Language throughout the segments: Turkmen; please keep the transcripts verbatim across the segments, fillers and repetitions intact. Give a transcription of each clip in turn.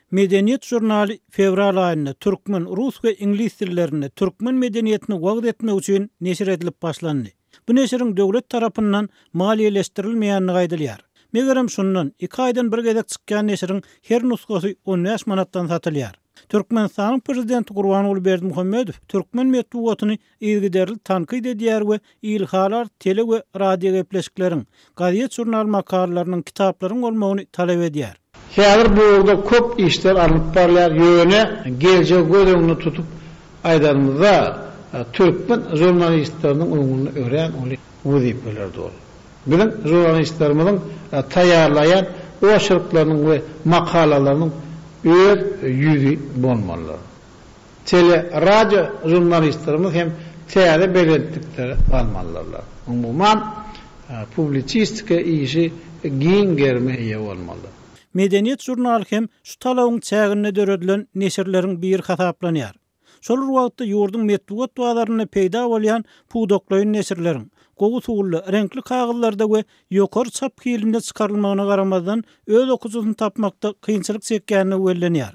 Medeniýet žurnaly fewral aýynda türkmen, rus we iňlis dillerinde türkmen medeniýetini wagyz etmek üçin neşir edilip başlandy. Bu neşiriň döwlet tarapyndan maliýeleşdirilmeýändigi aýdylýar. Megerem şundan iki aýdan bir gezek çykýan neşiriň her nusgasy on bäş manatdan satylýar. Türkmenistanyň prezidenti Gurbanguly Berdimuhamedow türkmen metbugatyny yzygiderli tankyt edýär we ilhalar tele we radio gepleşikleriň, gazet-žurnal makalalarynyň, kitaplaryň bolmagyny talap edýär. Häzir bu ugurda köp işler alnyp barylýar, ýöne geljegi göz öňünde tutup aýdanymyzda türkmen žurnalistleriniň öňünde örän uly wezipeler dur. Biziň žurnalistlerimiziň taýýarlaýan oçerkleriniň we makalalarynyň öz ýüzi bolmalydyr. Tele, radio žurnalistlerimiz hem täze belentliklere galmalydyrlar. Umuman, publisistika işi giň gerime eýe bolmalydyr. Medeniýet žurnaly hem şu talabyň çäginde döredilen neşirleriň biri hasaplanýar. Şol bir wagtda ýurduň metbugat bazarynda peýda bolýan pudaklaýyn neşirleriň gowy suwly, reňkli kagyzlarda we ýokary çap hilinde çykarylmagyna garamazdan öz okyjysyny tapmakda kynçylyk çekýändigi bellenýär.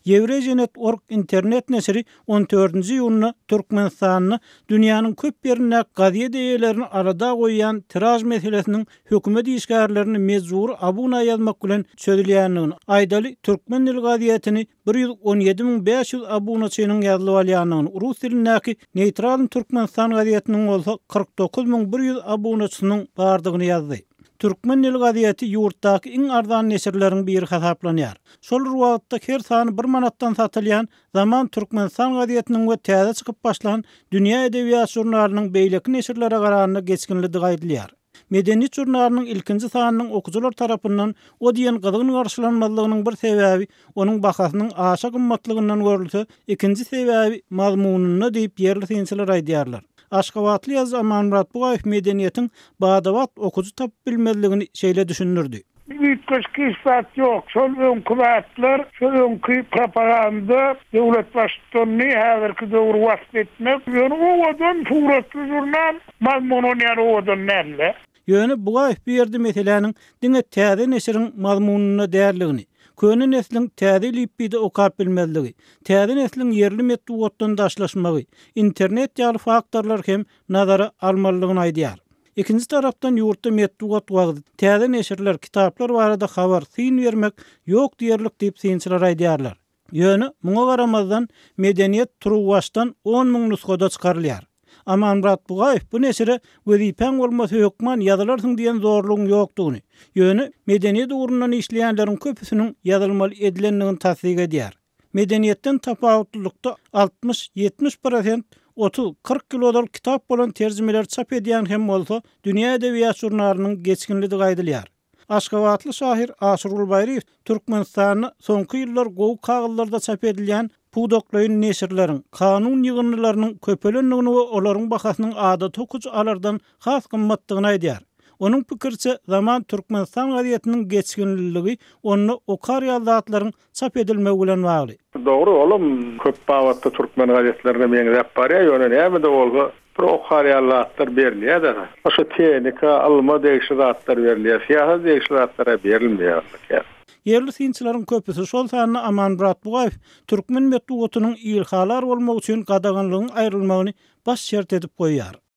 Eurasianet.org internet neşiri on dördünji iýunda Türkmenistanda dünýäniň köp ýerinde gazet eýelerini alada goýýan tiraj meselesiniň hökümet işgärlerini mejbur abuna ýazmak bilen çözülýändigini aýdaly Türkmen dili gazetini bir ýüz on ýedi müň bäş ýüz abunaçynyň ýazylyp alýandygyny, rus dilindäki Neýtral Türkmenistan gazetiniň bolsa kyrk dokuz müň bir ýüz abunaçysynyň bardygyny ýazdy. Türkmen dili gazeti ýurtdaky iň arzan neşirleriň biri hasaplanýar. Şol bir wagtda her sany bir manatdan satylýan Zaman Türkmenistan gazetiniň we täze çykyp başlan Dünýä edebiýat žurnalynyň beýleki neşirlere garanda geçginlidigi aýdylýar. Medeniýet žurnalynyň ilkinji sanynyň okyjylar tarapyndan o diýen gyzgyn garşylanmazlygynyň bir sebäbi onuň bahasynyň aşa gymmatlygyndan görülse, ikinji sebäbi mazmunynda diýip ýerli synçylar aýdýarlar. Aşgabatly ýazyjy Amanmyrat Bugaýew medeniýetiň badabat okyjy tapyp bilmezligini şeýle düşündirdi. Üýtgeşik hiç zat ýok. Şol öňki zatlar, şol öňki propaganda, döwlet baştutanyny häzirki döwri wasp etmek, ýöne owadan suratly žurnal mazmun ýaly owadan däldi. Ýöne Bugaýew bu ýerde meseläniň diňe täze neşiriň mazmunynda däldigini, köne nesliň täze lipbide okap bilmezligi, täze nesliň ýerli metbugatdan daşlaşmagy, internet ýaly faktorlar hem nazara almalydygyny aýdýar. Ikinji tarapdan ýurtda metbugat wagty, täze neşirler, kitaplar barada habar, syn bermek ýok diýerlik diýip synçylar aýdýarlar. Ýöne muňa garamazdan medeniýet turuwbaşdan on müň nusgada çykarylýar. Amanmyrat Bugaýew bu neşire wezipäň bolmasa hökman ýazylarsyň diýen zorlugyň ýokdugyny, ýöne medeniýet ugrundan işleýänleriň köpüsiniň ýazylmaly edilendigini tassyk edýär. Medeniýetden tapawutlylykda altmyş ýetmiş prosent otuz kyrk ýyl ozal kitap bolan terjimeler çap edýän hem bolsa Dünýä edebiýat žurnalynyň geçginlidigi aýdylýar. Aşgabatly şahyr Aşyrgul Baýryýew Türkmenistanda soňky ýyllar gowy kagyzlarda çap edilýän pudaklaýyn neşirleriň, kanun ýygyndylarynyň köpelendigini we olaryň bahasynyň adaty okyjy alardan has gymmatdygyny aýdýar. Onuň pikiriçe Zaman Türkmenistan gazetiniň geçginliligi onda okar ýaly zatlaryň çap edilmegi bilen bagly. Dogry, olam köp babatda türkmen gazetlerine meňzäp barýar, ýöne näme-de bolsa bir okar ýaly zatlar berilýär-de. Şu tehnika, ylma degişli zatlar berilýär, syýasat degişli zatlara berilmeýär. Ýerli synçylaryň köpüsi, şol sanda Amanmyrat Bugaýew türkmen metbugatynyň ilhalar bolmagy üçin gadaganlygyň aýrylmagyny baş şert edip goýýar.